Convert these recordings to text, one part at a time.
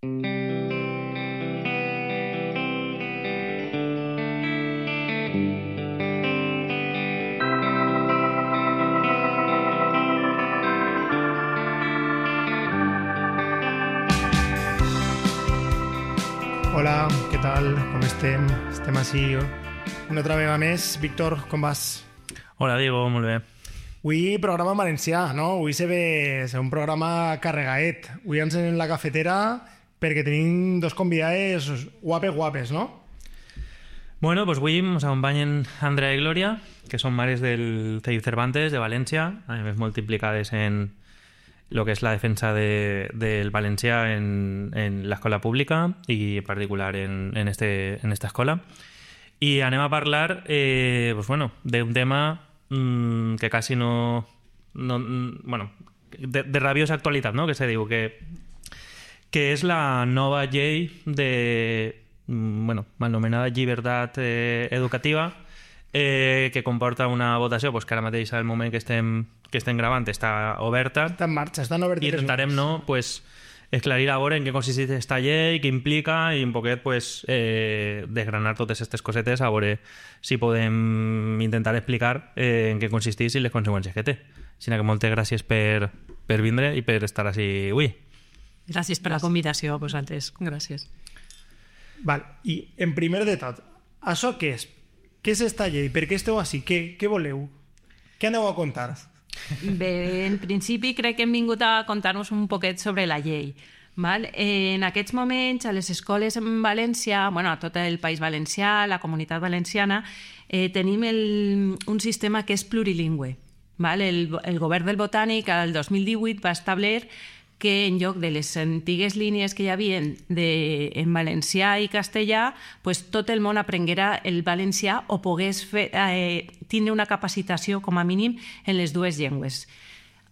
Hola, què tal? Com estem? Estem així una altra vegada més. Víctor, com vas? Hola, Diego, molt bé. Avui programa en valencià, no? Avui se ve un programa carregaet. Avui ens en la cafetera perquè tenim dos convidades guapes, no? Bueno, pues avui ens acompanyen Andrea i Glòria, que són mares del CEIU Cervantes de València, a més molt implicades en lo que es la defensa del valencià en la escola pública y en particular en esta escuela. Y anem a parlar pues bueno, de un tema que casi no bueno, de rabiosa actualitat, no? Que se diu que és la nova llei de bueno, mal anomenada llibertat educativa, que comporta una votació pues, que ara mateix al moment que estem gravant està oberta. Està en marxa, estan obertes. I intentarem pues, esclarir a veure en què consisteix aquesta llei, què implica i un poquet pues, desgranar totes aquestes cosetes a veure si podem intentar explicar en què consisteix i les conseqüències que té. Així que moltes gràcies per vindre i per estar així avui. Gràcies per la convidació a vosaltres. Gràcies. Val. I en primer de tot, això què és? Què és esta llei? Per què esteu així? Què voleu? Què aneu a contar? Bé, en principi crec que hem vingut a contar-nos un poquet sobre la llei. Val? En aquests moments, a les escoles en València, bueno, a tot el País Valencià, la Comunitat Valenciana, tenim un sistema que és plurilingüe. Val? El govern del Botànic, el 2018, va establir que en lloc de les antigues línies que hi havia en valencià i castellà, pues, tot el món aprenguera el valencià o pogués tindre una capacitació, com a mínim, en les dues llengües.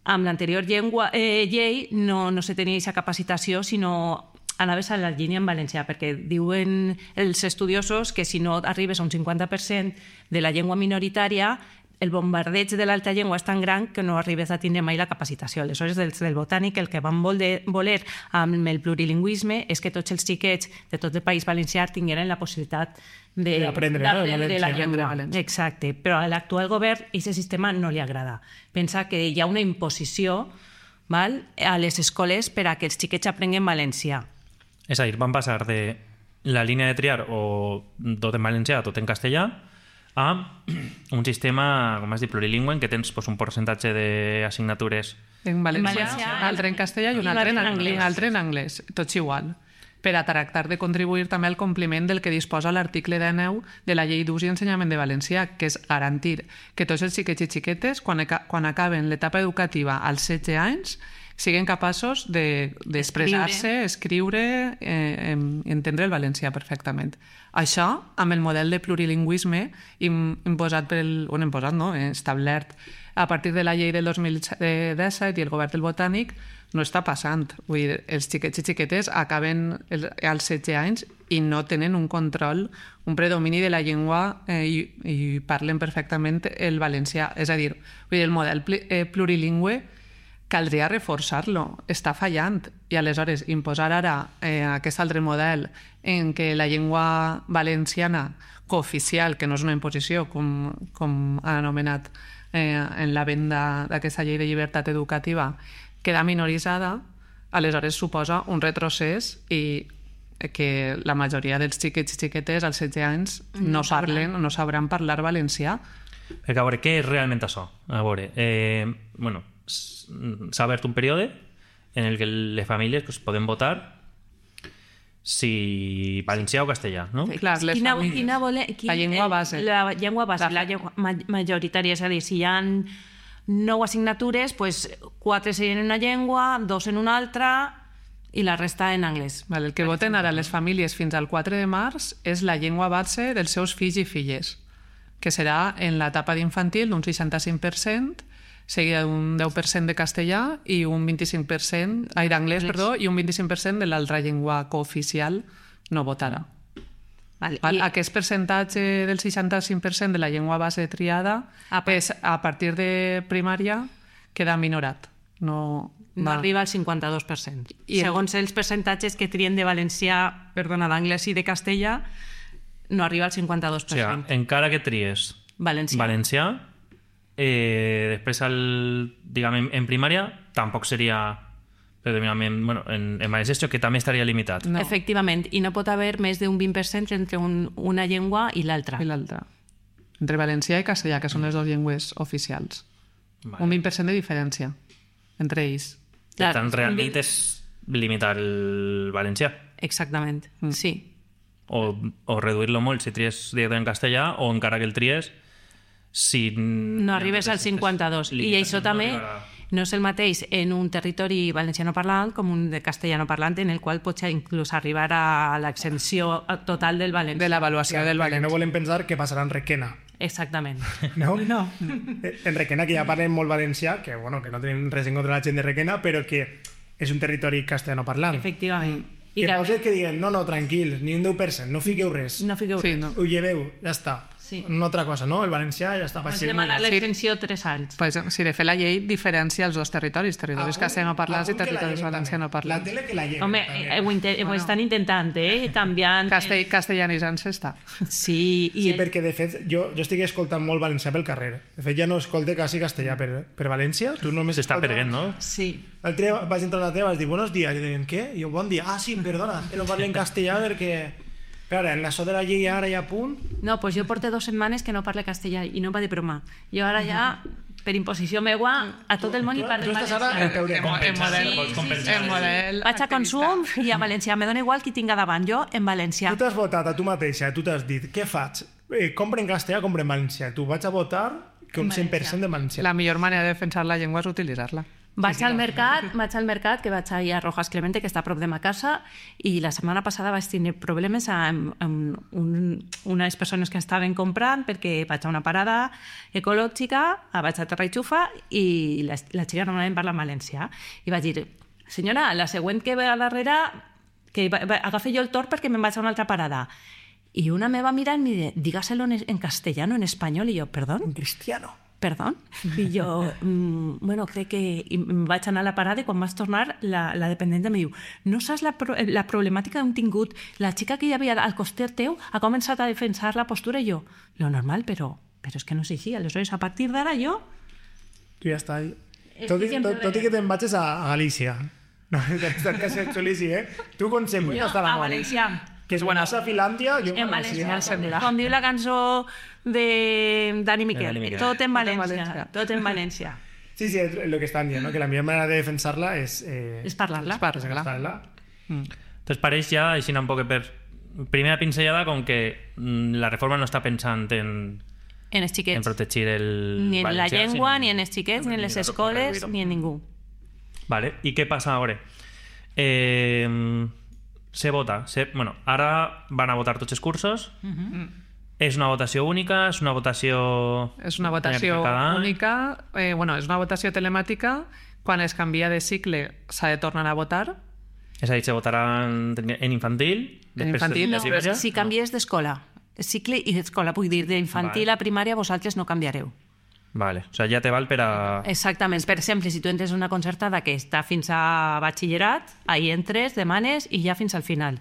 Amb l'anterior llei no se tenia aquesta capacitació, sinó anaves a la línia en valencià, perquè diuen els estudiosos que si no arribes a un 50% de la llengua minoritària, el bombardeig de l'alta llengua és tan gran que no arribes a tindre mai la capacitació. Aleshores, del Botànic, el que van voler amb el plurilingüisme és que tots els xiquets de tot el País Valencià tingueren la possibilitat d'aprendre la llengua. Exacte, però a l'actual govern aquest sistema no li agrada. Pensa que hi ha una imposició a les escoles per a que els xiquets aprenguen valencià. És a dir, van passar de la línia de triar o tot en valencià, tot en castellà, a un sistema, com has dit, plurilingüe, en què tens un percentatge d'assignatures en valencià, un altre en castellà i un altre en anglès, tots igual, per a tractar de contribuir també al compliment del que disposa l'article 19 de la Llei d'Ús i Ensenyament de Valencià, que és garantir que tots els xiquets i xiquetes, quan acaben l'etapa educativa als 16 anys, siguin capaços d'expressar-se, escriure i entendre el valencià perfectament. Això, amb el model de plurilingüisme establert a partir de la llei del 2017 i el govern del Botànic, no està passant. Vull dir, els xiquets i xiquetes acaben als 16 anys i no tenen un control, un predomini de la llengua i parlen perfectament el valencià. És a dir, el model plurilingüe caldria reforçar-lo, està fallant, i aleshores imposar ara aquest altre model en què la llengua valenciana cooficial, que no és una imposició, com ha anomenat en la venda d'aquesta llei de llibertat educativa, queda minoritzada, aleshores suposa un retrocés i que la majoria dels xiquets i xiquetes als 16 anys no sabran parlar valencià. Perquè a veure, què és realment això? A veure, bueno, s'ha obert un període en el que les famílies poden votar si valencià o castellà, no? Clar, la llengua base. La llengua base, la llengua majoritària, és a dir, si hi ha 9 assignatures, 4 serien en una llengua, 2 en una altra i la resta en anglès. El que voten ara les famílies fins al 4 de març és la llengua base dels seus fills i filles, que serà en l'etapa d'infantil d'un 65%, seguida d'un 10% de castellà i un 25% d'anglès, i un 25% de l'altra llengua cooficial no votarà. Aquest percentatge del 65% de la llengua base triada a partir de primària queda minorat. No no arriba al 52%. Segons els percentatges que trien de valencià, d'anglès i de castellà, no arriba al 52%. O sigui, encara que tries valencià, després, diguem, en primària, tampoc seria predominantment... Bueno, en valencià que també estaria limitat. No. Efectivament, i no pot haver més d'un 20% entre una llengua i l'altra. I l'altra. Entre valencià i castellà, que són les dues llengües oficials. Vale. Un 20% de diferència entre ells. Per tant, realment és limitar el valencià. Exactament, sí. O reduir-lo molt si tries directament en castellà, o encara que el tries si... No arribes al 52. I això també no és el mateix en un territori valenciano parlant com un de castellano parlant, en el qual pots inclús arribar a l'exempció total del valencià. De l'avaluació del valencià. No volem pensar que passarà en Requena. Exactament. No? En Requena, que ja parlem molt valencià, que no tenim res en contra de la gent de Requena, però que és un territori castellano parlant. Efectivament. I que pot ser que diguen, no, tranquil, ni un 10%, no fiqueu res. No fiqueu res. Ho lleveu, ja està. Sí. Una altra cosa, no? El valencià ja està. Pots demanar l'extensió 3 anys. Pues, si de fet la llei diferencia els dos territoris castellano parlants i territoris valenciano parlants. La tele que la lleva. Home, ho estan intentant, canviant... Castellanitzant-se està. Sí. Sí, perquè de fet jo estic escoltant molt valencià pel carrer. De fet ja no escolte quasi castellà per València. Tu només s'està perdent, no? Sí. L'altre dia vaig entrar a la teva i vaig dir buenos días. I diuen, què? I jo, bon dia. Ah, sí, perdona. No parlo en castellà perquè... Però en això de la llei ara ja a punt... No, doncs jo porto 2 setmanes que no parlo castellà i no va de broma. Jo ara ja, per imposició meua, a tot el món hi parlo en valencià. Tu estàs ara en model... Vaig a Consum i a valencià. Me dona igual qui tinga davant, jo en valencià. Tu t'has votat a tu mateixa, tu t'has dit, què faig? Compre en castellà, compre en valencià. Tu vaig a votar que un 100% de valencià. La millor manera de defensar la llengua és utilitzar-la. Vaig al mercat, que vaig allà a Rojas Clemente, que està a prop de ma casa, i la setmana passada vaig tenir problemes amb unes persones que estaven comprant perquè vaig a una parada ecològica, vaig a Terra i Xufa, i la xica normalment parla en valencià. I vaig dir, senyora, la següent que ve a darrere, que agafi jo el torn perquè me'n vaig a una altra parada. I una me va mirar i em diu, dígaselo en castellano, en espanyol, i jo, perdón? En cristiano. Perdó? I jo, crec que em vaig anar a la parada i quan vaig tornar la dependent em diu, no saps la problemàtica que hem tingut? La xica que hi havia al costat teu ha començat a defensar la postura i jo, lo normal, però és que no és així. Aleshores, a partir d'ara jo... Tu ja està. Tot i que te'n vagis a Galícia. No, que ser xulici, Tu conseqüents està la a valencià. Que és bona a Finlàndia, jo en valencià. Com diu la cançó de Dani Miquel, tot en valencià. Tot en valencià. Sí, és el que estan dient, que la millor manera de defensar-la és... És parlar-la. Entonces pareix ja, així un poc per primera pinzellada, com que la reforma no està pensant en els xiquets. En protegir el ni en valencià, la llengua, ni en els xiquets, ni en les escoles, ni en ningú. Vale, i què passa ara? Se vota. Ara van a votar tots els cursos. És una votació única? És una votació... És una votació única. És una votació telemàtica. Quan es canvia de cicle s'ha de tornar a votar. És a dir, se votarà en infantil? En infantil, no. Si canvies d'escola. Cicle i d'escola. Vull dir, d'infantil a primària vosaltres no canviareu. Vale, o sigui, ja te val per a... Exactament. Per exemple, si tu entres en una concertada que està fins a batxillerat, ahí entres, demanes i ja fins al final.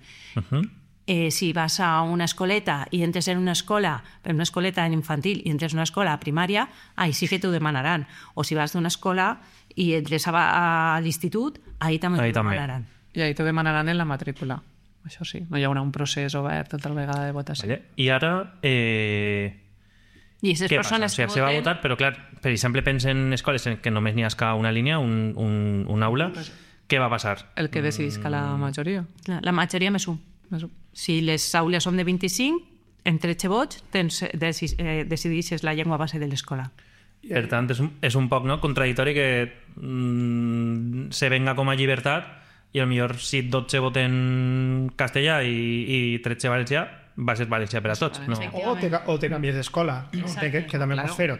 Si vas a una escoleta i entres en una escoleta en infantil i entres en una escola a primària, ahí sí que t'ho demanaran. O si vas d'una escola i entres a l'institut, ahí també t'ho demanaran. I ahí t'ho demanaran en la matrícula. Això sí, no hi haurà un procés obert tota la vegada de votació. Vale. I ara... I aquestes persones que voten... Se va votar, però clar, per exemple, pensa en escoles en què només n'hi ha una línia, un aula, què va passar? El que decidisca la majoria. La majoria més un. Si les aules són de 25, en 13 vots decideixes la llengua base de l'escola. Per tant, és un poc contradictori que se venga com a llibertat i potser si 12 voten castellà i 13 valencià, va ser valencià per a tots. No? O te canvies d'escola, que també pots fer-ho.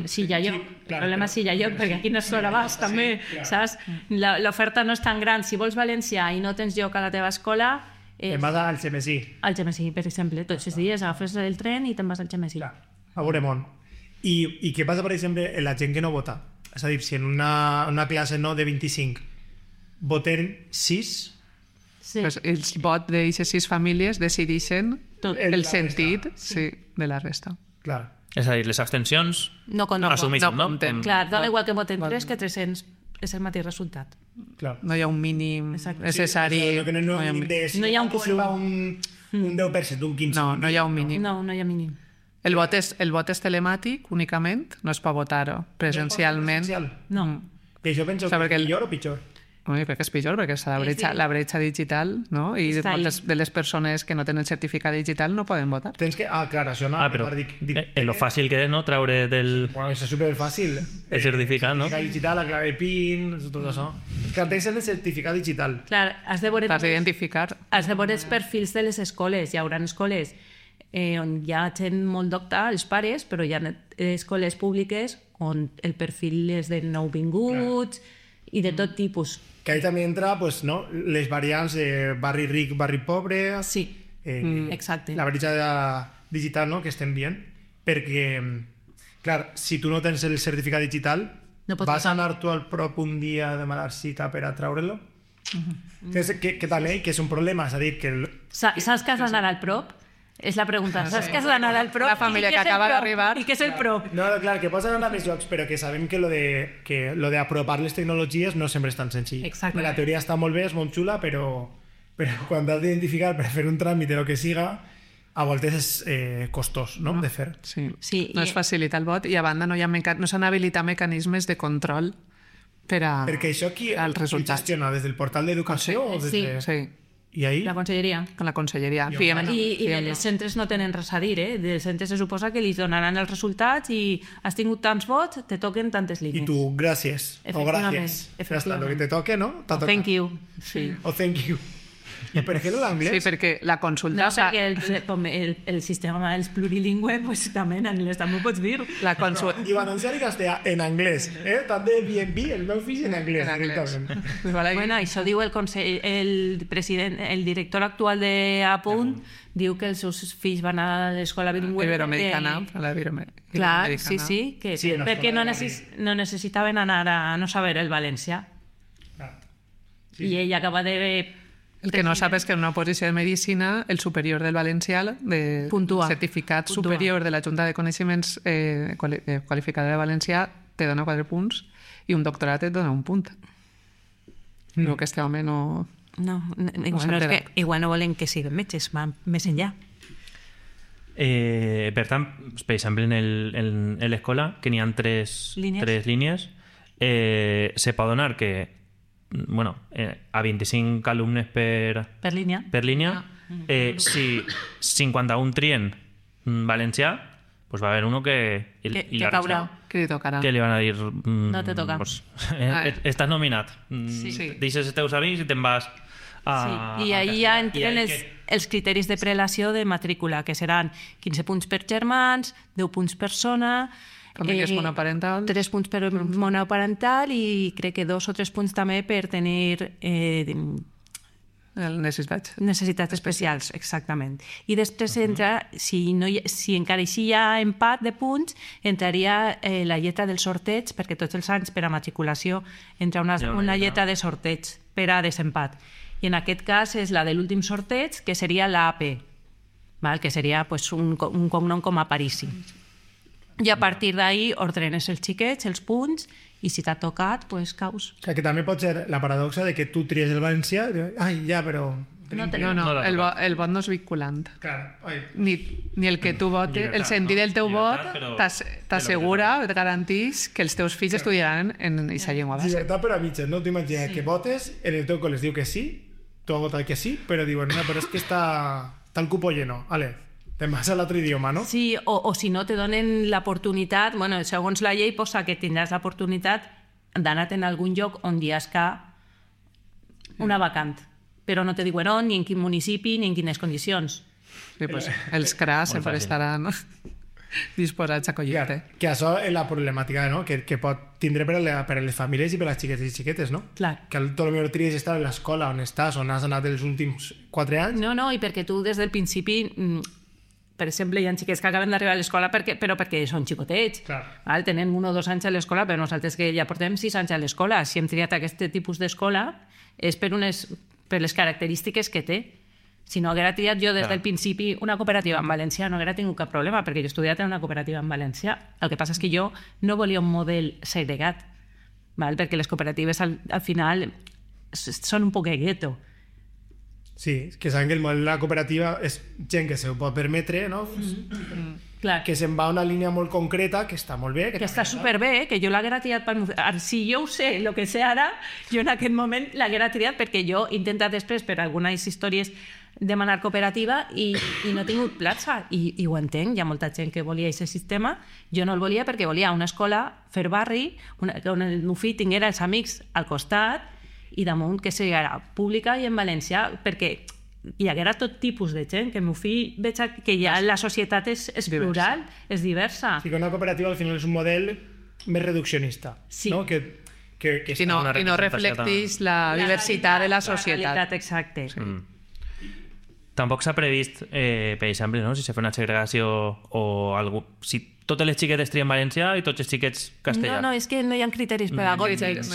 Sí, ja jo. El problema és si ja jo, perquè aquí no és l'hora vas, també, saps? L'oferta no és tan gran. Si vols valencià i no tens lloc a la teva escola... Te'n vas al Gemesí. Al Gemesí, per exemple. Tots els dies agafes el tren i te'n vas al Gemesí. A Boremont. I què passa, per exemple, en la gent que no vota? És a dir, si en una classe no de 25 voten 6. Sí. Pues el vot d'aquestes 6 famílies decideixen Tot. el sentit de la resta. Clar. És a dir, les abstencions No compten. assumeixen, no? compten. Clar, dona igual que voten 3 que 300. És el mateix resultat. Clar. No hi ha un mínim Exacte. necessari. Sí, que no hi ha un mínim de... No hi ha un que se'n va un 10%, un 15%. No hi ha un mínim. No hi ha mínim. El vot és telemàtic únicament, no és per votar-ho presencialment. Presencial. No. I això penso O sigui, que perquè és millor o pitjor? Ui, crec que és pitjor, perquè és la bretxa digital, no? I Està ahí. moltes de les persones que no tenen certificat digital no poden votar. Tens que... Ah, clar, això no. Però dic, lo fàcil que és, no?, treure del... Bueno, és superfàcil. El certificat, no? Certificat digital, la clave PIN, tot això. Que tens el certificat digital. Clar, has de veure d'identificar. els perfils de les escoles. Hi haurà escoles on hi ha gent molt docta, els pares, però hi ha escoles públiques on el perfil és de nouvinguts i de tot tipus. Que ahí també entra pues, no? Les variants de barri ric, barri pobre... Sí, exacte. La bretxa digital, no?, que estem dient. Perquè, clar, si tu no tens el certificat digital, No pots vas votar. anar tu al prop un dia a demanar cita per a treure-lo? Que també que és un problema, és a dir, que... Saps que has d'anar al prop? És la pregunta. Saps que has d'anar al prop? La família I què que és el acaba prop? d'arribar. I què és el prop? No, clar, que pots anar a més llocs, però que sabem que lo de apropar les tecnologies no sempre és tan senzill. Exacte. La teoria està molt bé, és molt xula, però quan has d'identificar per fer un tràmit o el que siga, a voltes és costós, no?, de fer. Sí. Sí, No i- es facilita el vot i a banda no s'han habilitat mecanismes de control per a... Perquè això qui els resultats. gestiona? Des del portal d'educació? o des Sí. de... Sí, I ahí? La conselleria. con la conselleria. Fiem, I els centres no tenen res a dir, eh? Els centres se suposa que li donaran els resultats i has tingut tants vots, te toquen tantes I línies. tu, gràcies. O Efectivament, gràcies. Ja està, efectivament. lo que te toque, no? T'ha tocat. Thank you. Sí. O thank you. I per què l'anglès? Sí, perquè la consulta... No, perquè el sistema és plurilingüe, pues, també en anglès també ho pots dir. La consulta... Diu anunciar en castellà, en anglès. Tant de B&B, el meu fill en anglès. En anglès. directament. Bueno, això diu el president, el director actual d'Apunt, diu que els seus fills van a l'escola bilingüe. Iberoamericana. La iberoamericana. Clar, sí, que Sí, en perquè l'escola no, de no necessitaven anar a no saber el valencià. Clar. I ell acaba de... El que no sap és que en una posició de medicina, el superior del valencià, de Puntua. certificat Puntua. superior de la Junta de Coneixements Qualificada de Valencià, te dona 4 punts i un doctorat et dona 1 punt. Però que este home no... No, igual, s'ha no és que, enterat. igual no volen que siguin metges, van més enllà. Per tant, per exemple, en l'escola, que n'hi ha tres línies, se pot donar que bueno, a 25 alumnes per línia, si 51 trien valencià, pues va a haver uno que caurà. Que li tocarà. que li van a dir No te toca. pues, estàs nominat, Sí. deixes els teus amics i te'n vas a... Sí. I ahí ja entren els criteris de prelació de matrícula, que seran 15 punts per germans, 10 punts per zona, Famílies monoparentals. 3 punts per monoparental i crec que 2 o 3 punts també per tenir necessitats especials, exactament. I després entra, si encara així hi ha empat de punts, entraria la lletra del sorteig, perquè tots els anys per a matriculació entra una lletra de sorteig per a desempat. I en aquest cas és la de l'últim sorteig, que seria l'AP, que seria pues, un cognom com a Parisi. I a partir d'ahí ordenes els xiquets, els punts, i si t'ha tocat, pues caus. O sigui, que també pot ser la paradoxa de que tu tries el valencià i dius, ai, ja, però... No, el vot no és vinculant. Clar, ai. Ni el que tu votes, el sentit del teu vot t'assegura, et garantís que els teus fills estudiaran en aquesta llengua base. Llibertat però a mitges, no? T'imagines que votes, en el teu col·le es diu que sí, tu has votat que sí, però diuen, no, però és que està el cupo lleno, vale, te'n vas a l'altre idioma, no? Sí, o si no te donen l'oportunitat, bueno, segons la llei posa que tindràs l'oportunitat d'anar en algun lloc on hi ha una vacant, però no te diuen on, ni en quin municipi, ni en quines condicions. Sí, pues, els CRA sempre fàcil. estaran disposats a acollir-te. Que això és la problemàtica, no? Que pot tindre per a les famílies i per a les xiquetes i xiquetes, no? Clar. Que tot el millor tries estar a l'escola on estàs, on has anat els últims 4 anys. No, i perquè tu des del principi, per exemple, hi ha xiquets que acaben d'arribar a l'escola però perquè són xicotets. Clar. Val? Tenen 1 o 2 anys a l'escola, però nosaltres que ja portem 6 anys a l'escola. Si hem triat aquest tipus d'escola és per les característiques que té. Si no haguera triat jo des del principi una cooperativa en valencià, no haguera tingut cap problema, perquè jo he estudiat en una cooperativa en valencià. El que passa és que jo no volia un model segregat, perquè les cooperatives al final són un poc gueto. Sí, que saben que el model de la cooperativa és gent que se ho pot permetre, no? Clar. Que se'n va a una línia molt concreta, que està molt bé. Que està superbé, que jo l'haguera triat si jo ho sé, el que sé ara, jo en aquest moment l'haguera triat perquè jo he intentat després per algunes històries demanar cooperativa i no he tingut plaça i ho entenc, hi ha molta gent que volia aquest sistema, jo no el volia perquè volia una escola fer barri on el meu fill tinguera els amics al costat i damunt que sigui pública i en valencià, perquè hi haguera tot tipus de gent, que el meu fill veig que ja la societat és plural, és diversa. Sí, que una cooperativa al final és un model més reduccionista, no? I no reflecteix la diversitat de la societat. Exacte. Tampoc s'ha previst, per exemple, no? Si se fa una segregació o algú... Si totes les xiquetes trien valencià i tots els xiquets castellà. No, és que no hi ha criteris pedagògics.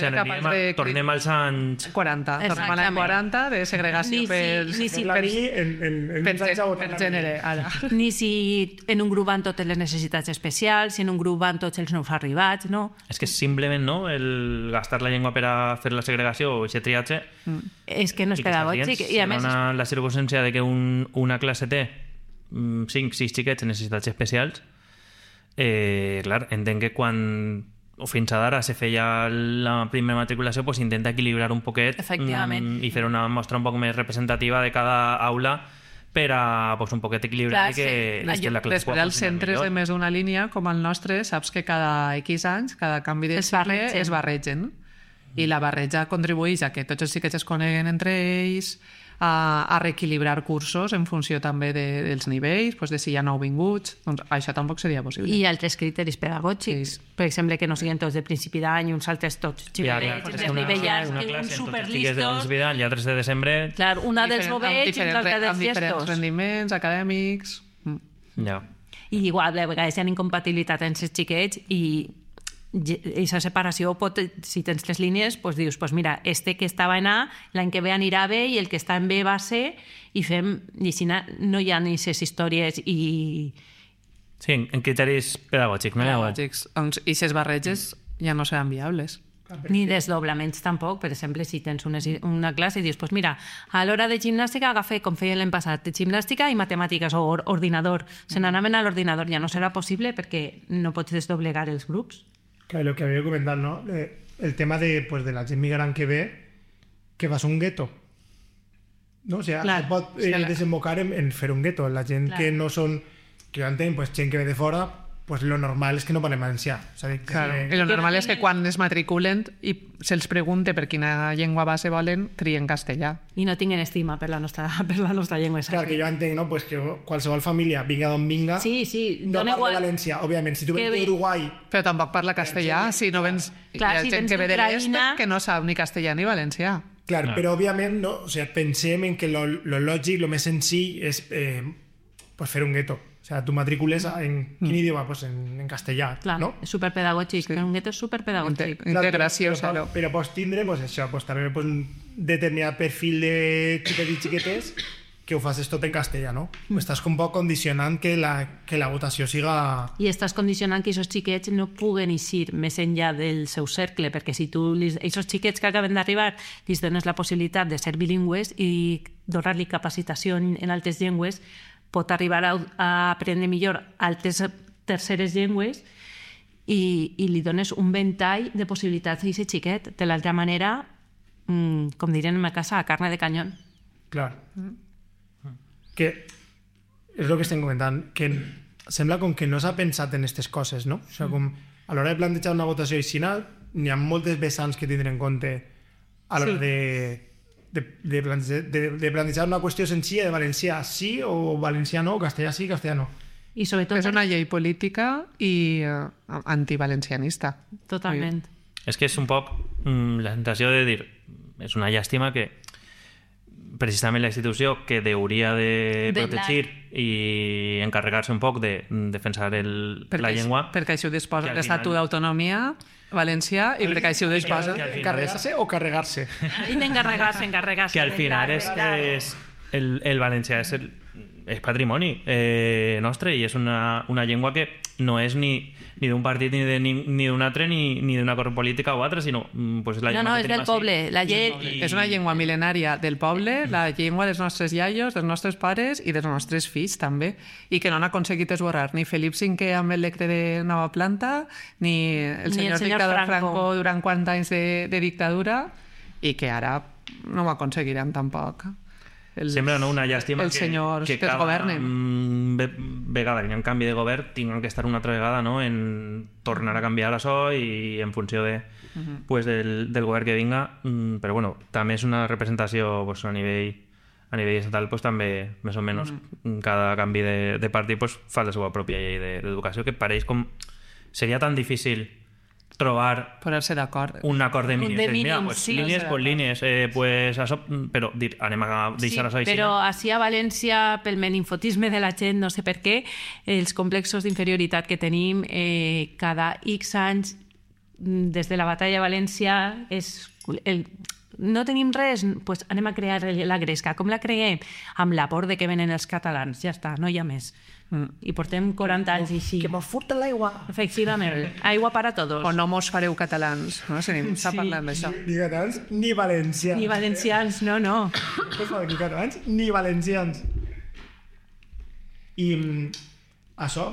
Tornem als anys 40. Tornem a l'any 40 de segregació per gènere. Ni si en un grup van totes les necessitats especials, si en un grup van tots els nous arribats, no? És que simplement, no?, el gastar la llengua per a fer la segregació o aquest triatge... És que no és pedagògic. I a més... La circumstància de que una classe té 5-6 xiquets en necessitats especials, clar, entenc que quan fins ara se feia la primera matriculació, pues intenta equilibrar un poquet i fer una mostra un poc més representativa de cada aula per a pues, un poquet equilibrar que la classe. Després els centres de més d'una línia, com el nostre, saps que cada X anys, cada canvi de cicle es barregen. I la barreja contribueix a que tots els xiquets es coneguen entre ells, a reequilibrar cursos en funció també dels nivells, de si hi ha nouvinguts, doncs això tampoc seria possible. I altres criteris pedagògics, per exemple, que no siguin tots de principi d'any, uns altres tots xiulets, desnivellats, uns superlistos... I altres de desembre... Clar, una dels novells i una altra dels llestos. Amb diferents rendiments acadèmics... I igual, a vegades hi ha incompatibilitat entre els xiquets i aquesta separació pot, si tens les línies, doncs dius, doncs mira, que estava en A, l'any que ve anirà a B i el que està en B va a C i fem, i si no hi ha ni ces històries i... Sí, en criteris pedagògics, no? Pedagògics. I ces barreges ja no seran viables. Ni desdoblaments tampoc. Per exemple, si tens una classe i dius, doncs mira, a l'hora de gimnàstica agafa, com feia l'any passat, gimnàstica i matemàtiques o ordinador. Se n'anaven a l'ordinador, ja no serà possible perquè no pots desdoblegar els grups. Claro, lo que había comentado, ¿no? El tema de la gent migrant que ve, que va a ser un gueto. ¿No? O sea, claro, pot desembocar en fer un gueto. La gent que no són... Que jo entenc, gent que ve de fora, pues lo normal és que no parlem valencià. Claro. I lo normal és que quan es matriculen i se'ls pregunte per quina llengua base volen, trien castellà. I no tinguen estima per la nostra llengua. Clar, que jo entenc, no? Pues que qualsevol família, vinga d'on vinga, no parla valencià. Òbviament, si tu vens d'Uruguai... Però tampoc parla castellà. Si no vens... Hi ha gent que ve de l'est que no sap ni castellà ni valencià. Clar, però òbviament, no? O sigui, pensem en que lo lògic, lo més senzill és fer un gueto. O sea, tu matricules en quin idioma? Pues en castellà, clar, no? És superpedagògic, un gueto és superpedagògic. Integració, però pots tindre, pues això, pues també un determinat perfil de xiquets i xiquetes que ho facis tot en castellà, no? Estàs un poc condicionant que la votació siga... I estàs condicionant que aquests xiquets no puguen eixir més enllà del seu cercle, perquè si tu, aquests xiquets que acaben d'arribar, els dones la possibilitat de ser bilingües i donar-li capacitació en altres llengües, pot arribar a aprendre millor altres terceres llengües i li dones un ventall de possibilitats a aquest xiquet. De l'altra manera, com dirien en ma casa, a carne de canyón. Clar. Que és el que estem comentant, que sembla com que no s'ha pensat en aquestes coses, no? O sigui, com a l'hora de plantejar una votació així, n'hi ha moltes vessants que tindre en compte a l'hora de plantejar una qüestió senzilla de valencià sí o valencià no, castellà sí, castellà no. I sobretot... És una llei política i antivalencianista. Totalment. És que és un poc la sensació de dir, és una llàstima que precisament la institució que hauria de protegir i encarregar-se un poc de defensar la llengua. Perquè així ho disposa que al l'Estatut final- d'Autonomia valencià i perquè així ho disposa. que al final Encarregar-se o carregar-se? I d'encarregar-se. Que al final és el valencià és patrimoni nostre i és una llengua que no és ni d'un partit ni d'un altre ni d'una corrent política o altra, sinó pues, la llengua No, que és tenim del ací. poble. La llei... És una llengua mil·lenària del poble, la llengua dels nostres iaios, dels nostres pares i dels nostres fills, també, i que no han aconseguit esborrar ni Felip V amb el lectre de Nova Planta, ni el senyor dictador Franco durant 40 anys de dictadura, i que ara no ho aconseguirem tampoc. Sembla una llàstima els senyors que cada governen. vegada que hi ha un canvi de govern tinguin que estar una altra vegada en tornar a canviar això i en funció pues, del govern que vinga, però bueno, també és una representació pues, a nivell estatal pues, també més o menys cada canvi de partit pues, fa la seva pròpia llei d'educació, que pareix com seria tan difícil trobar Posar-se d'acord. un acord de mínims. Mira, mínims, pues, sí. línies per línies, pues, això, però anem a deixar això així. Però així a València, pel meninfotisme de la gent, no sé per què, els complexos d'inferioritat que tenim cada X anys, des de la batalla de València, no tenim res, doncs anem a crear la gresca. Com la creem? Amb la por de que venen els catalans. Ja està, no hi ha més. I portem 40 anys així. Que mos furten l'aigua. Efectivament. Aigua para todos. O no mos fareu catalans, no? S'ha parlat d'això. Ni catalans ni valencians. Ni valencians, no. Per favor, ni catalans ni valencians. I això,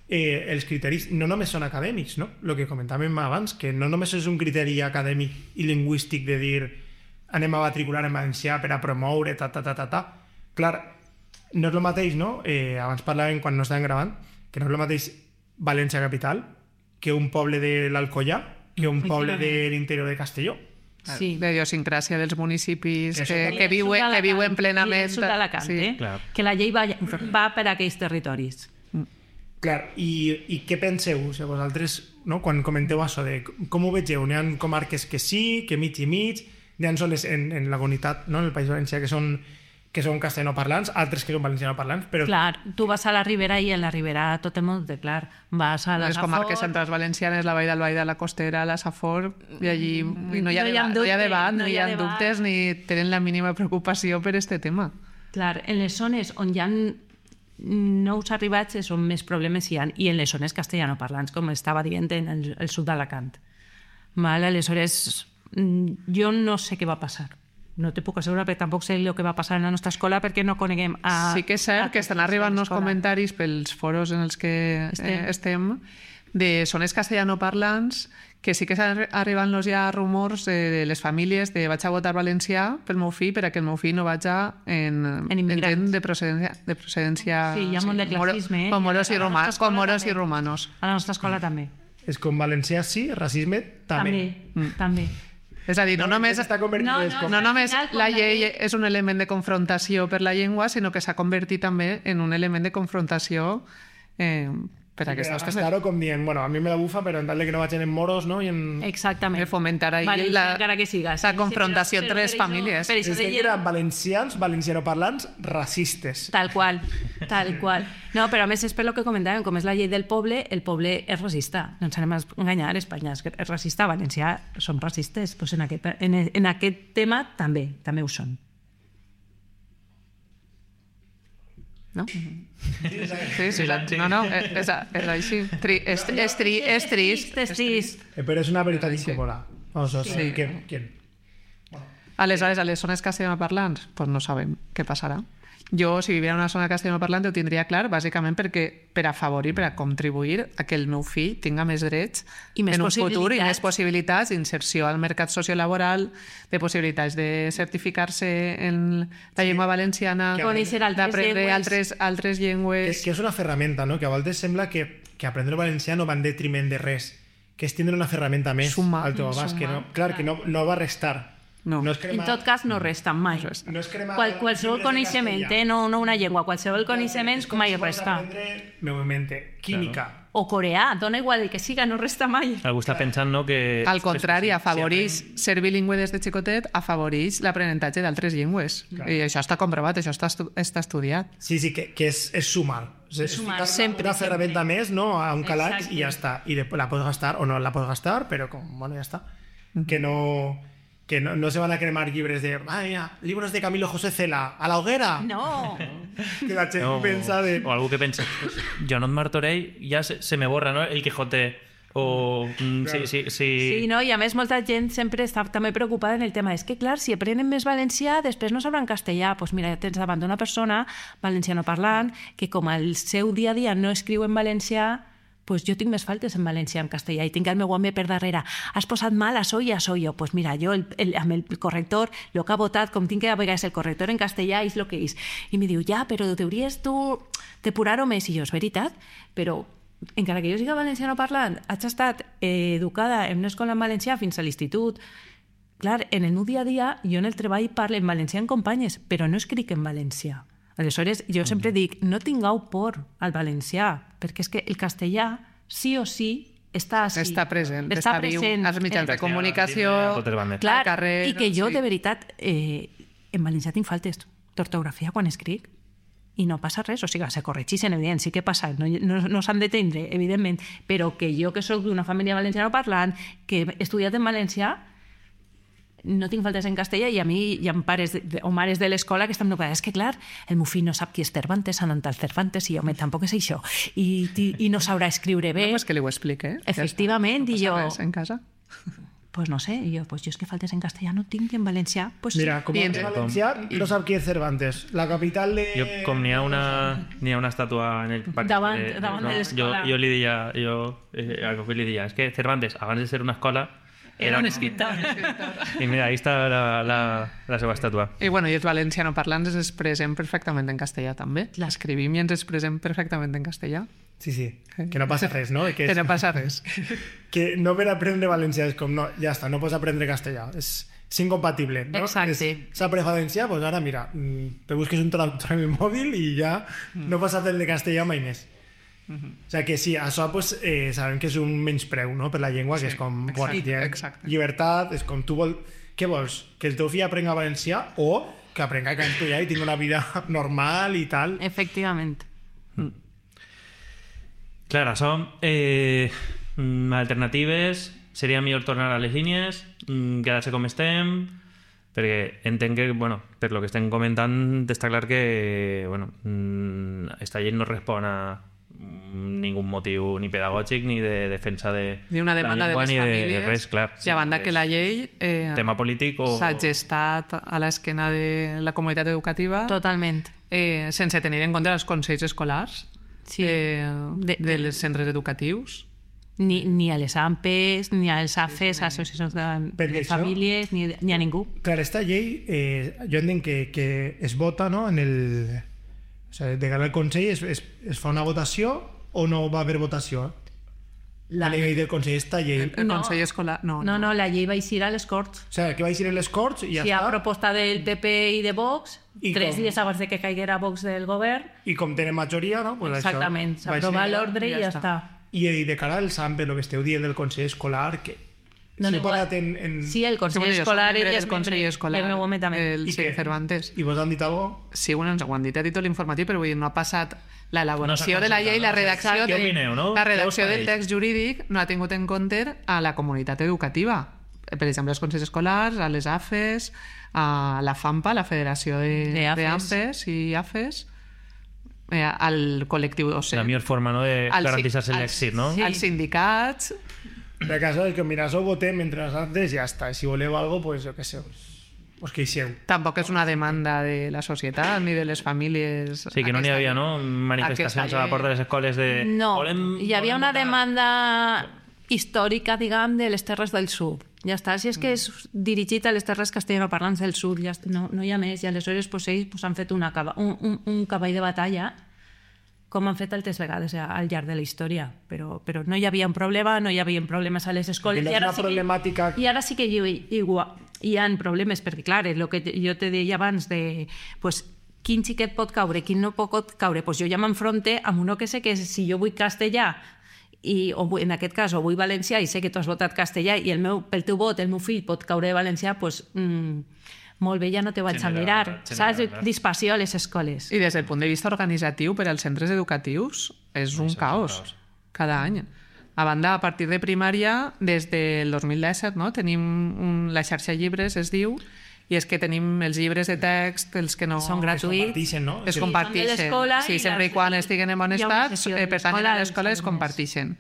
els criteris no només són acadèmics, no? El que comentàvem abans, que no només és un criteri acadèmic i lingüístic de dir anem a matricular en valencià per a promoure, Clar, no és el mateix, no? Abans parlàvem, quan no estàvem gravant, que no és el mateix València capital que un poble de l'Alcoià, que un poble de l'interior de Castelló. Sí. La idiosincràsia dels municipis Això que viuen plenament. Sud d'Alacant, Sí. Clar. que la llei va per a aquells territoris. Clar, i què penseu? O sigui, vosaltres, no? Quan comenteu això de com ho vegeu, n'hi ha comarques que sí, que mig i mig, n'hi ha zones en la comunitat, no? En el País Valencià que són castellanoparlants, altres que són valencianoparlants, però Clar, tu vas a la Ribera i en la Ribera tot el món té clar. Vas a la Les comarques centrals valencianes, la Vall d'Albaida, la Costera, la Safor, i allí no hi ha debat, no hi ha dubtes, ni tenen la mínima preocupació per aquest tema. Clar, en les zones on hi ha nous arribats és on més problemes hi ha, i en les zones castellanoparlants, com estava dient en el sud d'Alacant. Aleshores, jo no sé què va passar. No te puc assegurar, perquè tampoc sé el que va passar en la nostra escola perquè no coneguem Sí que és cert que estan arribant uns comentaris pels foros en els que estem de zones castellanoparlants que sí que estan arribant ja rumors de les famílies de vaig a votar valencià pel meu fill perquè el meu fill no vaja en immigrants. de procedència Sí, hi ha molt de classisme, com moros i romanos. A la nostra escola també. és com valencià sí, racisme també. També. És a dir, no només S'està convertint en les no només la llei és un element de confrontació per la llengua, sinó que s'ha convertit també en un element de confrontació per aquestes coses. Estar-ho com dient, bueno, a mi me la bufa, però en tal que no vagin en moros, no? I en... Exactament. De fomentar ahí encara que siga. la confrontació entre les famílies. Per això És que eren valencians, valencianoparlants, racistes. Tal qual, tal qual. No, però a més és per lo que comentàvem, com és la llei del poble, el poble és racista. No ens anem a enganyar, Espanya és racista, València són racistes. Pues en aquest tema també ho són. No? Sí, no, és així. És trist. És trist. Però és una veritat incòmoda. O sigui, ¿quién? Aleshores, a les zones castellanoparlants, pues no sabem què passarà. Jo, si vivia en una zona castellanoparlant, ho tindria clar, bàsicament perquè per afavorir, per a contribuir a que el meu fill tinga més drets I més en un futur i possibilitats. més possibilitats d'inserció al mercat sociolaboral, de possibilitats de certificar-se en la llengua valenciana, Conèixer altres d'aprendre llengües. altres llengües. Que és una ferramenta, no? Que a vegades sembla que aprendre valencià no va en detriment de res, que és tindre una ferramenta més Suma, al teu abast, que no, clar, que no va restar. No. És En tot cas, no resta mai. No és cremar Qualsevol coneixement, no una llengua, qualsevol coneixement mai resta. Meu mente, química o coreà, dona igual el que siga, no resta mai. Algú està pensant, no, que... Al contrari, afavoreix ser bilingüe des de xicotet, afavoreix l'aprenentatge d'altres llengües. I això està comprovat, això està estudiat. Sí, que és sumar. És sumar, ficar sempre, una ferramenta més, no?, a un calaix Exacte. i ja està. I després la pots gastar o no la pots gastar, però bueno, ja està. Que no se van a cremar llibres de libros de Camilo José Cela a la hoguera. No. Que la gent pensa de... O algú que pensa, Joanot Martorell ja se me borra, no?, el Quijote. O... Sí. Sí, no? I a més molta gent sempre està també preocupada en el tema. És que, clar, si aprenen més valencià, després no sabran castellà. Doncs mira, tens davant d'una persona valenciano parlant que com al seu dia a dia no escriu en valencià, pues jo tinc més faltes en valencià en castellà i tinc el meu home per darrere. Has posat mal a soy, Pues mira, jo amb el corrector, el que ha votat, com tinc que a vegades el corrector en castellà, és el que és. I me diu, però t'hauries tu depurar-ho més. I jo, és veritat, però encara que jo siga valenciano parlant, haig estat educada en una escola en valencià fins a l'institut. Clar, en el meu dia a dia, jo en el treball parlo en valencià amb companyes, però no escric en valencià. Aleshores, jo sempre dic, no tingueu por al valencià, perquè és que el castellà, sí o sí, està així. Està present, està viu als mitjans de comunicació, clar, al carrer... I que jo, de veritat, en valencià tinc faltes d'ortografia quan escric, i no passa res, o sigui, se corregeixen, evident, sí que passa, no s'han d'entendre, evidentment, però que jo, que soc d'una família valenciana parlant, que he estudiat en valencià, no tinc faltes en castellà, i a mi hi ha pares o mares de l'escola que estan preocupades. És que, clar, el meu fill no sap qui és Cervantes, Sant Antoni Cervantes, i jo tampoc és això, i no sabrà escriure bé. No, és que li ho explique. Efectivament, i jo... No passa res en casa. Pues no sé, i jo, pues jo és que faltes en castellà no tinc, en valencià, pues Mira, com a valencià no sap qui és Cervantes. La capital de... Jo, com n'hi ha una estàtua en el parc... Davant de l'escola. Jo li deia, algo que li deia, és que Cervantes, abans de ser una escola, era un escriptor. I mira, ahí està la seva estàtua. I bueno, i els valenciano parlants ens expressem perfectament en castellà també. L'escrivim i ens expressem perfectament en castellà. Sí, que no passa res, no? Que no passa res. Que no per aprendre valencià és com, no, ja està, no pots aprendre castellà. És incompatible, no? Exacte. S'aprèn valencià, doncs ara mira, te busques un traductor en el mòbil i ja no pots aprendre castellà mai més. O sigui que sí, això pues, sabem que és un menyspreu, no?, per la llengua, que és com llibertat, és com tu vols... Què vols? Que el teu fill aprenga valencià o que aprenga castellà i tingui una vida normal i tal? Efectivament. Clar, això, alternatives, seria millor tornar a les línies, quedar-se com estem, perquè entenc que, bueno, per lo que estem comentant, està clar que, bueno, esta llei no respon a ningún motiu ni pedagògic ni de defensa de ni una demanda la llengua, de les famílies, de res, clar. I a banda que la llei tema polític o... s'ha gestat a l'esquena de la comunitat educativa Totalment. Sense tenir en compte els consells escolars de les centres educatius. Ni a les AMPEs, ni als AFES, associacions de famílies, ni a ningú. Clar, esta llei, jo entenc que es vota, no?, en el... O sigui, de cara al Consell es fa una votació o no va haver votació? La llei del Consell, esta llei... El Consell Escolar... No, la llei va eixir a les Corts. O sigui, que va eixir en les Corts i ja està. està. Si hi ha proposta del PP i de Vox, 3 dies abans de que caiguera Vox del govern... I com tenen majoria, no? Pues exactament, s'aprova l'ordre i ja està. I de cara al SAMP, el que esteu dient del Consell Escolar, que... No, si parat en... Sí, el Consell Escolar... El Consell Escolar, el Cervantes. I vos han dit alguna cosa? Sí, bueno, ens ho han dit a títol informatiu, però no ha passat l'elaboració de la llei, la redacció del text jurídic no ha tingut en compte a la comunitat educativa. Per exemple, als consells escolars, a les AFES, a la FAMPA, la Federació d'AMPEs i AFES, al col·lectiu docent. La millor forma, no?, de garantir-se l'èxit, no? Als sindicats... De cas, que mira, ho votem entre les altres i ja està. Si voleu alguna cosa, pues jo què sé, pues que hi seu. Tampoc és una demanda de la societat ni de les famílies. Sí, que no n'hi havia, no?, manifestacions a la porta de les escoles de... No, hi havia una demanda històrica, diguem, de les Terres del Sud. Ja està, si és que és dirigit a les terres castellanoparlants del sud, ja no hi ha més, i aleshores ells han fet un cavall de batalla, com han fet altres vegades al llarg de la història, però no hi havia un problema, no hi havia problemes a les escoles, i ara sí que hi ha problemes, perquè clar, el que jo te deia abans de quin xiquet pot caure, quin no pot caure, jo ja m'enfronte amb uno que sé que si jo vull castellà o en aquest cas, o vull valencià i sé que tu has votat castellà i pel teu vot el meu fill pot caure de valencià, doncs molt bé, ja no te vaig a mirar. Saps? Dispersió a les escoles. I des del punt de vista organitzatiu, per als centres educatius, és un caos cada any. A banda, a partir de primària, des del 2017, no? Tenim la xarxa llibres, es diu, i és que tenim els llibres de text, els que no... Són gratuïts. Es comparteixen. Sí, sempre i quan estiguen en bon estat, pertanyen a l'escola, es comparteixen.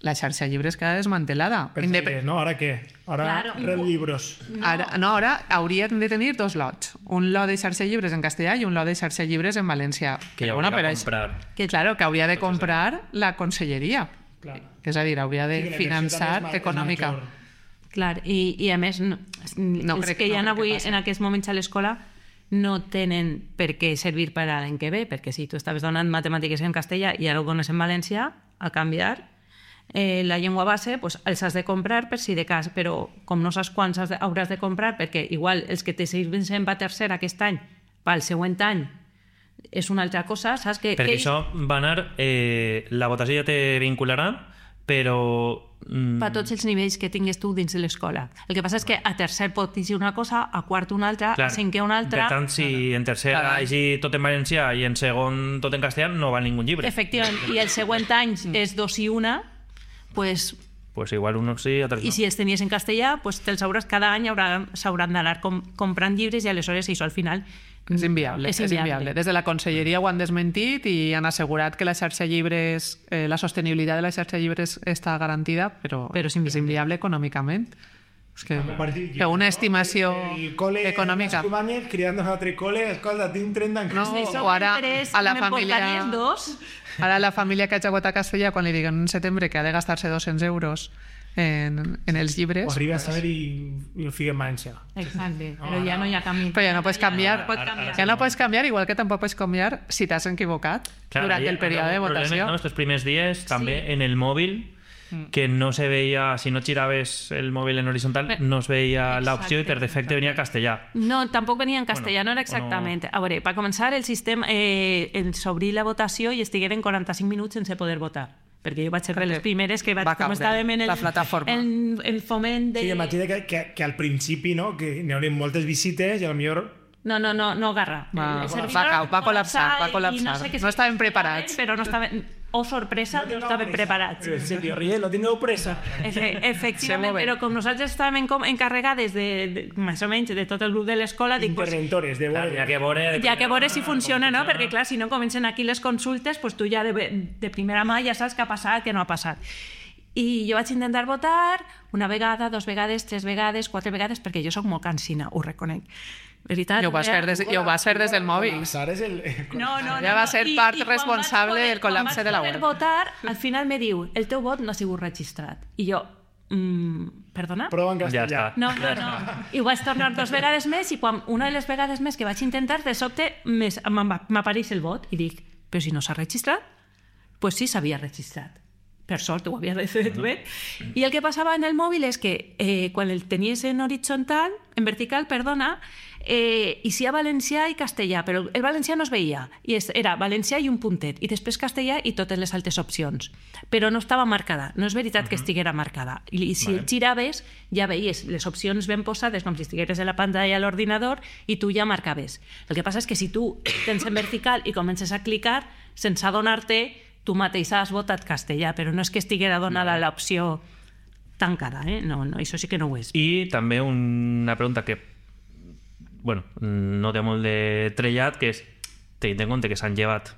La xarxa llibres queda desmantelada. ¿No? ¿Ahora qué? Ahora Red Libros. Ara haurien de tenir dos lots. Un lot de xarxa llibres en castellà i un lot de xarxa llibres en valencià. Que ja hauria de comprar. Claro, que hauria de comprar la conselleria. És a dir, hauria de finançar econòmica. Clar, i a més, els que hi ha avui en aquests moments a l'escola no tenen per què servir per a l'any que ve, perquè si tu estaves donant matemàtiques en castellà i ara ho dones en valencià, a canviar la llengua base, doncs els has de comprar per si de cas, però com no saps quants hauràs de comprar, perquè igual els que te serveixen per tercer aquest any, pel següent any, és una altra cosa, saps? Perquè això va anar... la votació ja te vincularà, però... per tots els nivells que tingues tu dins de l'escola. El que passa és que a tercer pot dir una cosa, a quart una altra, a cinquè una altra... Per tant, si en tercer hagi tot en valencià i en segon tot en castellà, no val ningú llibre. Efectivament, i el següent any és 2 i 1, pues igual unos sí, altres no. I si els tenies en castellà, pues te'ls hauràs, cada any s'hauran d'anar comprant llibres i aleshores això al final és inviable. Des de la conselleria ho han desmentit i han assegurat que la xarxa llibres, la sostenibilitat de la xarxa llibres està garantida, però és inviable econòmicament. És que una estimació econòmica... El cole, criant un altre cole, escolta, tinc 30 en casa. No, o ara a la família... Ara la família que hagi votat castellà, quan li diguen en setembre que ha de gastar-se 200 euros en els llibres... Ho arriba a saber i ho fica en valencià. Exacte, però ja no hi ha camí. Però ja no pots canviar. Ja no pots canviar, igual que tampoc pots canviar si t'has equivocat durant el període de votació. En els primers dies, també en el mòbil, que no se veia, si no giraves el mòbil en horitzontal, no es veia l'opció i per defecte venia castellà. No, tampoc venia en castellà, no era exactament. A veure, per començar, el sistema s'obrí la votació i estigueren 45 minuts sense poder votar. Perquè jo vaig ser de les primeres que com estàvem en el foment de... Sí, imagina que al principi, no?, que n'hi haurien moltes visites i potser... No, Garra. Va col·lapsar. No estaven preparats. Però no estaven... Oh, sorpresa, no estaven preparats. En serio, Riel, tindreu pressa. Efectivament, però com nosaltres estàvem encarregades més o menys de tot el grup de l'escola... Interventores, de veure. Ja que veure si funciona, no? Perquè clar, si no comencen aquí les consultes, doncs tu ja de primera mà ja saps què ha passat, què no ha passat. I jo vaig intentar votar una vegada, 2 vegades, 3 vegades, 4 vegades, perquè jo soc molt cansina, ho reconec. Veritat, ho vas fer des del mòbil. Ja va ser part responsable del col·lapse de la web. Quan vaig poder votar, al final me diu, el teu vot no ha sigut registrat. I jo, perdona? Prova en castellà. No. I ho vaig tornar 2 vegades més i quan una de les vegades més que vaig intentar, de sobte m'apareix el vot i dic, però si no s'ha registrat? Doncs sí, s'havia registrat. Per sort, ho havia fet bé. I el que passava en el mòbil és que quan el tenies en horitzontal, en vertical, perdona, hi ha valencià i castellà, però el valencià no es veia. I era valencià i un puntet, i després castellà i totes les altres opcions. Però no estava marcada, no és veritat que estiguera marcada. I si el giraves, ja veies les opcions ben posades, com si estigueres en la pantalla a l'ordinador, i tu ja marcaves. El que passa és que si tu tens en vertical i comences a clicar, sense adonar-te, tu mateix has votat castellà, però no és que estiguera donada l'opció tancada, no, això sí que no ho és. I també una pregunta que no té molt de trellat, que és, tenint en compte que s'han llevat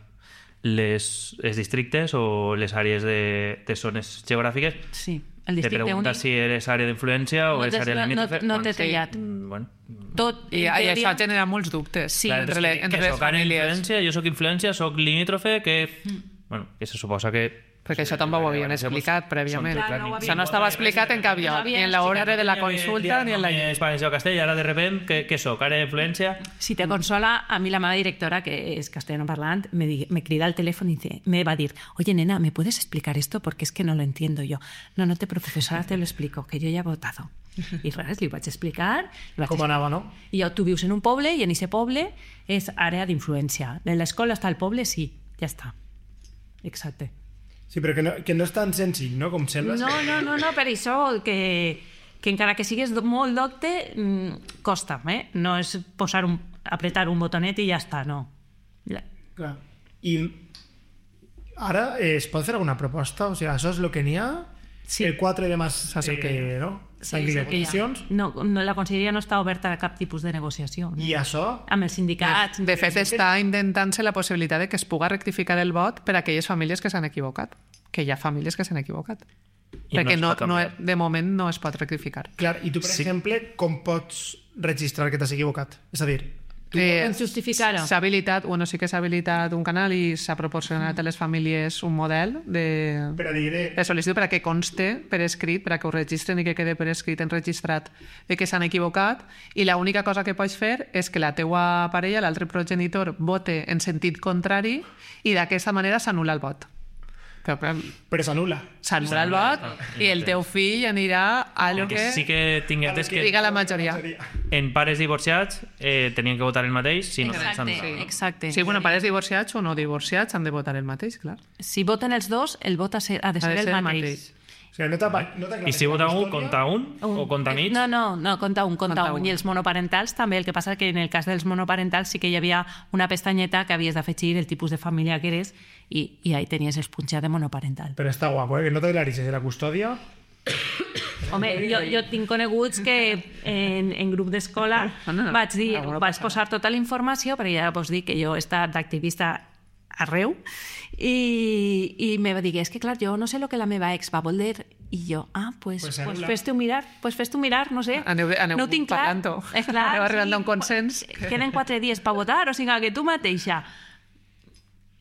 els districtes o les àrees de zones geogràfiques, sí, el districte únic. Te pregunta si eres àrea d'influència o és àrea limítrofe. No té trellat. I això genera molts dubtes. Sí, entre les famílies. Jo soc influència, soc limítrofe, que se suposa que... Perquè això també ho havien explicat prèviament. Això no estava explicat en cap lloc, ni en l'hora de la consulta ni en la llei. Valencià o castellà, ara de repente, què soc? Àrea d'influència? Si te consola, a mi la meva directora, que és castellano parlant, me crida al teléfono y me va a decir, oye, nena, ¿me puedes explicar esto? Porque es que no lo entiendo yo. No te preocupes, ahora te lo explico, que yo ya he votado. I res, li vaig explicar. Com anava, no? I tu vius en un poble i en aquest poble és àrea d'influència. En l'escola està el poble, sí, ja està. Exacte. Sí, però que no és tan senzill, no? Com sembla. No, per això que encara que sigues molt docte, costa, No és apretar un botonet i ja està, no. Clar. I ara es pot fer alguna proposta? O sigui, això és el que n'hi ha? Sí. El 4 de març, no? Sí, no, la conselleria no està oberta a cap tipus de negociació. I això? Amb els sindicats. De fet, està intentant-se la possibilitat de que es puga rectificar el vot per a aquelles famílies que s'han equivocat. Que hi ha famílies que s'han equivocat. Perquè de moment no es pot rectificar. Clar, i tu, per exemple, com pots registrar que t'has equivocat? És a dir, justificar-ho. S'ha habilitat, sí que s'ha habilitat un canal i s'ha proporcionat a les famílies un model de sol·licitud per a que conste per escrit, per a que ho registren i que quede per escrit enregistrat de que s'han equivocat, i l'única cosa que pots fer és que la teua parella, l'altre progenitor, vote en sentit contrari i d'aquesta manera s'anul·la el vot. Però s'anul·la. S'anul·la el vot i el teu fill anirà a lo que sí que tinguem que diga la majoria. En pares divorciats tenien que votar el mateix, si no Exacte. Sí, pares divorciats o no divorciats han de votar el mateix, clar. Si voten els dos, el vot ha de ser el mateix. O sigui, I si vota un, compta un? O compta mig? No, compta un. I els monoparentals també. El que passa que en el cas dels monoparentals sí que hi havia una pestanyeta que havies d'afegir el tipus de família que eres i ahí tenies el punxat de monoparental. Però està guapo, que no t'aclarissis de la custòdia. Home, jo tinc coneguts que en grup d'escola vaig posar tota la informació, perquè ja vos dic que jo he estat d'activista arreu, i me va dir, és que clar, jo no sé el que la meva ex va voler, i jo, pues fes-te-ho mirar, no sé, no ho tinc clar. Aneu arribant a un consens. Queden 4 dies per votar, o sigui que tu mateixa.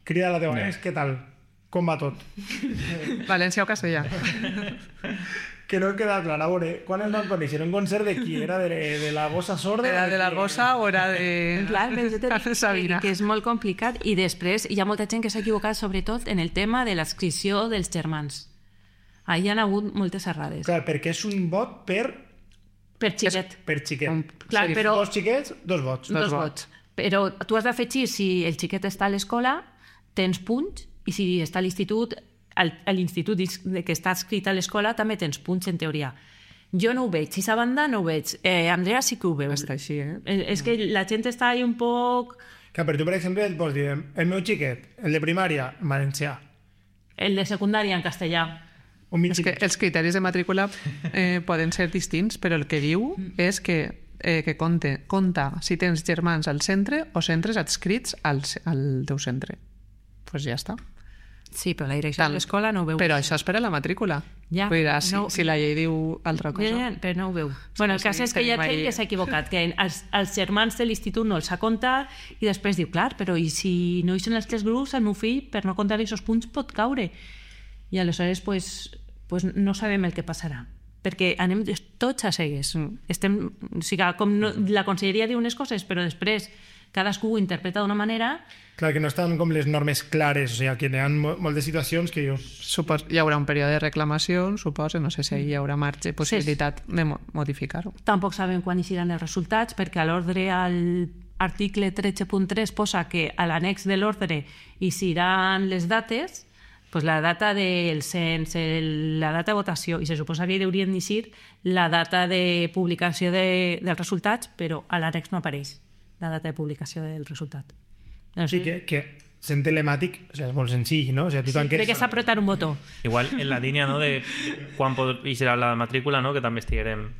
Crida a la teva ex, què tal? Com va tot? València o Castellà? Que no queda clar, a veure, quan es van conèixer? Un concert de qui? Era de la gossa sorda? Era de la gossa o era de... Clar, Sabina. Que és molt complicat, i després hi ha molta gent que s'ha equivocat, sobretot en el tema de l'adscripció dels germans. Ahí hi ha hagut moltes errades. Clar, perquè és un vot per xiquet. Per xiquet. Clar, però... Dos xiquets, dos vots. Dos vots. Però tu has d'afegir si el xiquet està a l'escola, tens punts, i si està a l'institut, a l'institut que està escrit a l'escola també tens punts, en teoria. Jo no ho veig, si sa banda no ho veig. Andrea sí que ho veu. Està així, És que la gent està ahí un poc... Clar, però tu, per exemple, et pots dir, el meu xiquet, el de primària, en valencià. El de secundària, en castellà. És que els criteris de matrícula poden ser distints, però el que diu és que compta si tens germans al centre o centres adscrits al teu centre. Doncs ja està. Sí, però la direcció de l'escola no ho veu. Però això és per a la matrícula. Ja, si la llei diu altra cosa. Però no ho veu. Bueno, el cas és que hi ha gent que s'ha equivocat, que els germans de l'institut no els ha comptat, i després diu, clar, però i si no hi són els 3 grups, el meu fill, per no comptar aquests punts, pot caure. I aleshores, pues no sabem el que passarà. Perquè anem tots a cegues. O sigui, com la conselleria diu unes coses, però després cadascú ho interpreta d'una manera. Clar, que no estan com les normes clares, o sigui, que hi ha moltes situacions que hi haurà un període de reclamació, suposo, no sé si hi haurà marge, possibilitat de modificar-ho. Tampoc sabem quan hi seran els resultats, perquè a l'ordre, al article 13.3 posa que a l'annex de l'ordre hi seran les dates, pues la data del cens, la data de votació, i se suposa que hi haurien d'eixir la data de publicació dels resultats, però a l'annex no apareix la data de publicació del resultat. Sí, que sent telemàtic, o sigui, és molt senzill, no? O sigui, crec que s'ha apretat un botó. Igual en la línia, no?, de quan serà la matrícula, no?, que també estiguem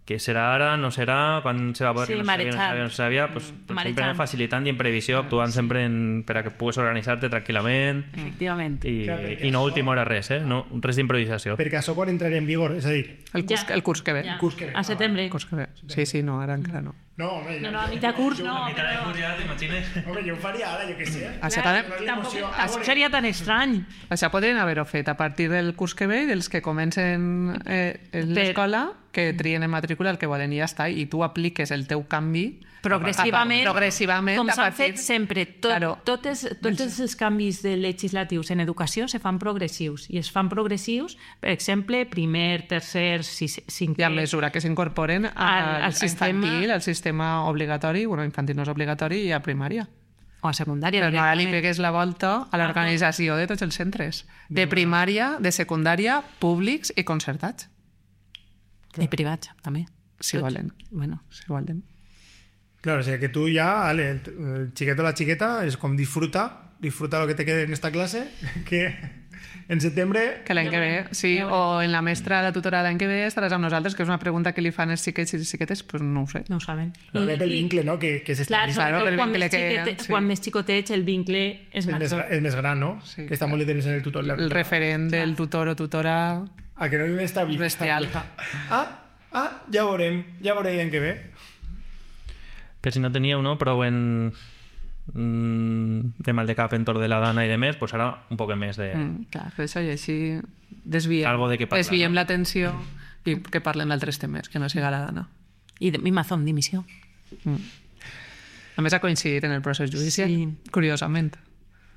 que serà ara, no serà, quan se va poder, no sabia, pues, sempre facilitant i en previsió, actuant sempre per a que puguis organitzar-te tranquil·lament. Efectivament. I no a última hora res, no, res d'improvisació. Perquè això quan entrarà en vigor, és a dir... El curs que ve. A setembre. Sí, no, ara encara no. No, home, no, a mitjà curs no. A mitjà de curs ja, t'imagines? Home, jo ho faria ara, jo què sé. Tampoc seria tan estrany. Això podrien haver-ho fet a partir del curs que ve i dels que comencen l'escola, que trien en matrícula el que volen i ja està, i tu apliques el teu canvi progressivament com s'han fet sempre. Tots els canvis legislatius en educació se fan progressius, i es fan progressius, per exemple, primer, tercer, cinquè... I a mesura que s'incorporen al infantil, al sistema obligatori, bueno, infantil no és obligatori, i a primària. o a secundària. Però ara li directament. pegues la volta a l'organització de tots els centres. De primària, de secundària, públics i concertats. I privats, també. Si volen. Bueno, Si volen. Claro, o sea que tú ya, Ale, el chiqueto o la chiqueta, es como disfruta lo que te quede en esta clase, que en septiembre... Que l'any que ve, sí, o en la mestra, la tutora l'any que ve estaràs amb nosaltres, que és una pregunta que li fan els xiquets i les xiquetes, pues no ho sé. no ho saben. Claro, el vincle, ¿no? Que se Clar, Claro, sobretot el quan, vincle més xiquet, sí. quan més xicotets el vincle és major. es más gran, ¿no? Sí, que está muy literal en el tutor. El referent del tutor o tutora... A que no està Bestial. Ja veurem l'any que ve. Per si no teníeu, no? Prou en de mal de cap entorn de la dana i de més, pues ara un poc més de... Clar, per això i així desviem, Algo de què parlar, desviem no? l'atenció i que parlen d'altres temes, que no siga la dana. I Mazón dimissió. A més, ha coincidit en el procés judicial, Sí. curiosament.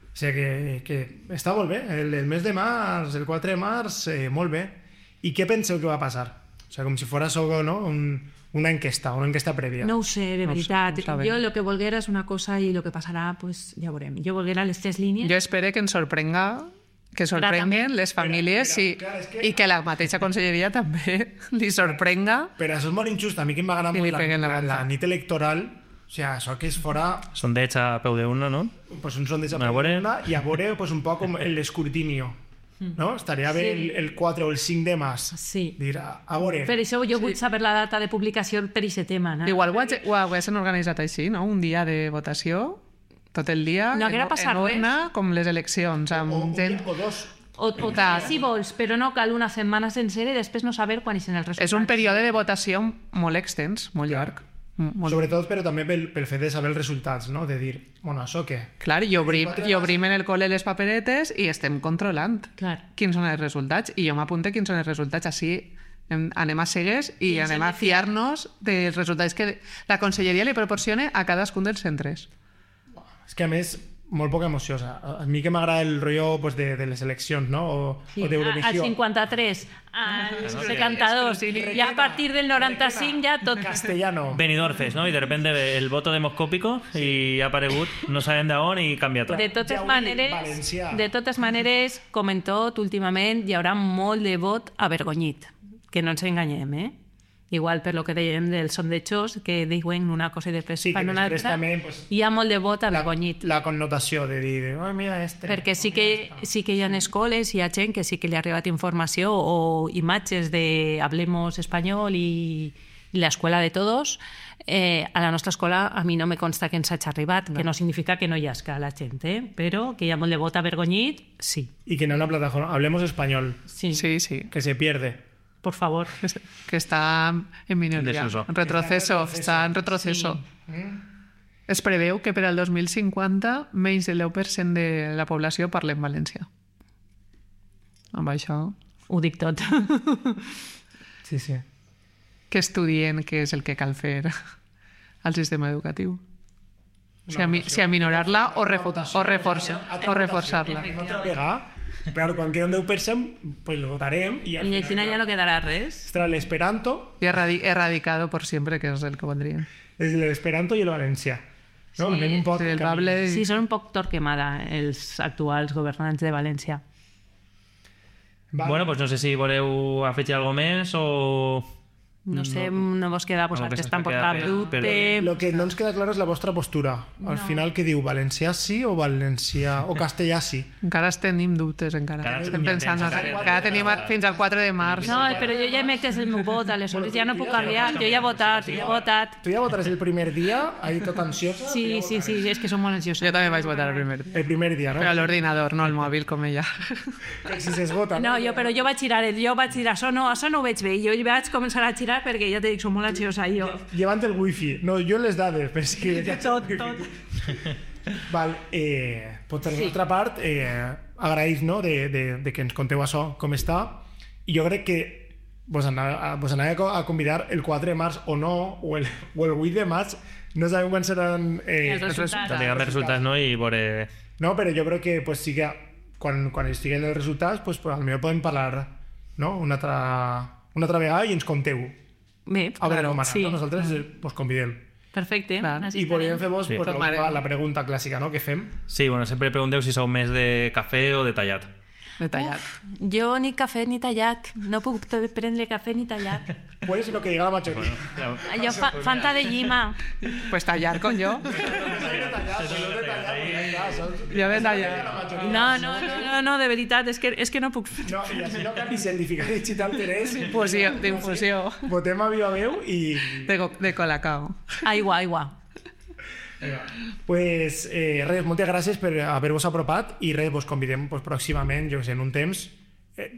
O sigui que està molt bé. El mes de març, el 4 de març, molt bé. I què penseu que va passar? O sigui, com si fos no? una enquesta prèvia. No ho sé, de No ho sé, veritat. no ho sabem. Jo lo que volguera és una cosa i lo que passarà, pues ja veurem. Jo volguera les 3 línies. Jo espero que ens sorprenguen les famílies clar, és i que la mateixa conselleria també li sorprenga. Però això és molt injust. A mi que m'agrada I li molt peguen la la volta. nit electoral, o sigui, això que és fora Sondeig a peu d'una, no? pues, un sondeix A veure. i a veure pues, un poc com l'escrutinio. No? Estaria bé el 4 o el 5 de març. Sí. Dir, a veure. Per això jo vull saber la data de publicació per aquest tema. No? Igual ho haguessin organitzat així, no? Un dia de votació, tot el dia, No haguera passat en urna, com les eleccions, amb o gent... dos. O si vols, però no cal una setmana sencera i després no saber quan són els resultats. És un període de votació molt extens, molt llarg. Molt... Sobretot, però també pel fet de saber els resultats, no? De dir, bueno, això què? Clar, i obrim en el col·le les paperetes i estem controlant Clar. quins són els resultats. I jo m'apunte quins són els resultats. Així anem a cegues i anem a fiar-nos dels resultats que la conselleria li proporciona a cadascun dels centres. És que, a més, molt poca emoció. A mi que m'agrada el rotllo pues, de les eleccions, no? O Al d'Eurovisió. 53, al 72, i a partir del 95 ja tot... Castellano. Benidorm Fest, no? I de repente el voto demoscòpico i ha aparegut, no sabem d'on i canvia tot. De totes Valencià. maneres, com en tot, últimament hi haurà molt de vot avergonyit, que no ens enganyem, eh? Igual per lo que dèiem dels sondejos, que diuen una cosa i després Sí, que fan una després altra, també, pues, hi ha molt de vot avergonyit. La connotació de dir, oh, mira este. Perquè sí que hi ha escoles, hi ha gent que sí que li ha arribat informació o imatges de Hablemos Español i l'escola de todos. A la nostra escola a mi no me consta que ens hagi arribat, que no significa que no hi hagi la gent, però que hi ha molt de vot avergonyit, sí. Y que en una plataforma, Hablemos Español, Sí, Sí, sí, que se pierde. por favor. que està en minoria, Desuso. en retroceso, està en retroceso. Es preveu que per al 2050 menys del 10% de la població parli en valencià. Amb això, Ho dic tot. Sí, sí. que estudien què és el que cal fer al sistema educatiu. Si aminorar-la o reforçar-la. No te pega. Claro, quan queda un 10%, pues lo votarem y al I al final ja no quedarà res. estarà l'esperanto, Y erradicado por siempre, que és el que voldrien. l'esperanto i el valencià. No? Sí, Anem un poc Sí, el camí. Bable... Sí, són un poc Torquemada, els actuals governants de València. Va. Bueno, pues no sé si voleu afegir alguna més o... No sé, no vos queda vosaltres se'ns tampoc queda cap per- dubte. Lo que no ens queda clar és la vostra postura. Al final, què diu? Valencià sí o valencià o castellà sí? Encara tenim dubtes, encara. Encara Estem tenim pensant, temps, encara tenim fins al 4 de març. No, però jo ja he mès el meu vot, aleshores ja no puc canviar. Jo ja he votat, Tu ja votaràs el primer dia, ahí tot ansiosa? Sí, és que som molt ansiosos. Jo també vaig votar el primer dia. El primer dia, no? Però a l'ordinador, no al mòbil, com ella. Que si s'esgota. No, però jo vaig girar, això no ho veig bé. Jo vaig començar a girar perquè ja t'he dit, som molt ansiosa jo. Llevant el wifi. No, jo les dades, però és que... Ja... Tot. Val, pues per la nostra part, agraïs, no?, de que ens conteu això, com està, i jo crec que vos anava a convidar el 4 de març o no, o el 8 de març, no sabem quan seran Els resultats. Diguem els resultats, no? I veure... No, però jo crec que pues, sí que quan estiguen els resultats, pues, potser podem parlar, no?, una altra vegada i ens conteu. Bé, A veure, Omar, sí. nosaltres vos convidem. Perfecte. Clar. Així I podríem estarem. fer-vos pues, la pregunta clàssica, no?, que fem. Sí, bueno, sempre pregunteu si sou més de cafè o de tallat. Detallat. Jo ni cafè ni tallat. No puc prendre cafè ni tallat. Puedes lo que diga la mayoría. Jo Fanta de llima. Pues tallar con yo. Jo de tallar. No, de veritat, és que no puc... No, i així no canvis el dificari digital interès. D'infusió. Votem a viva veu i... De colacao. Aigua. Pues res, moltes gràcies per haver-vos apropat i res, vos convidem pues, pròximament, jo que sé, en un temps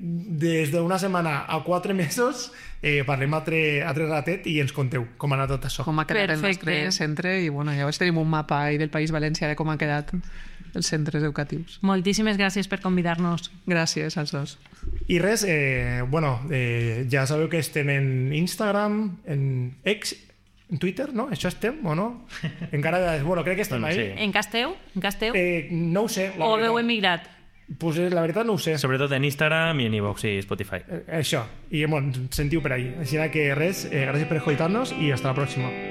des d'una setmana a 4 mesos parlem altre ratet i ens conteu com ha anat tot això. Com ha quedat el Perfecte. nostre centre i bueno, llavors tenim un mapa ahí del País Valencià de com ha quedat els centres educatius. Moltíssimes gràcies per convidar-nos. Gràcies als dos. I res, ja sabeu que estem en Instagram, en X, en Twitter, no? Això estem o no? Encara, bueno, crec que estem Bueno, ahí. sí. En Casteu? No ho sé. O heu emigrat? Pues la veritat no ho sé. Sobretot en Instagram i en iVoox i Spotify. Això. I bueno, sentiu per ahí. Així que res, gràcies per escoltar-nos i hasta la pròxima.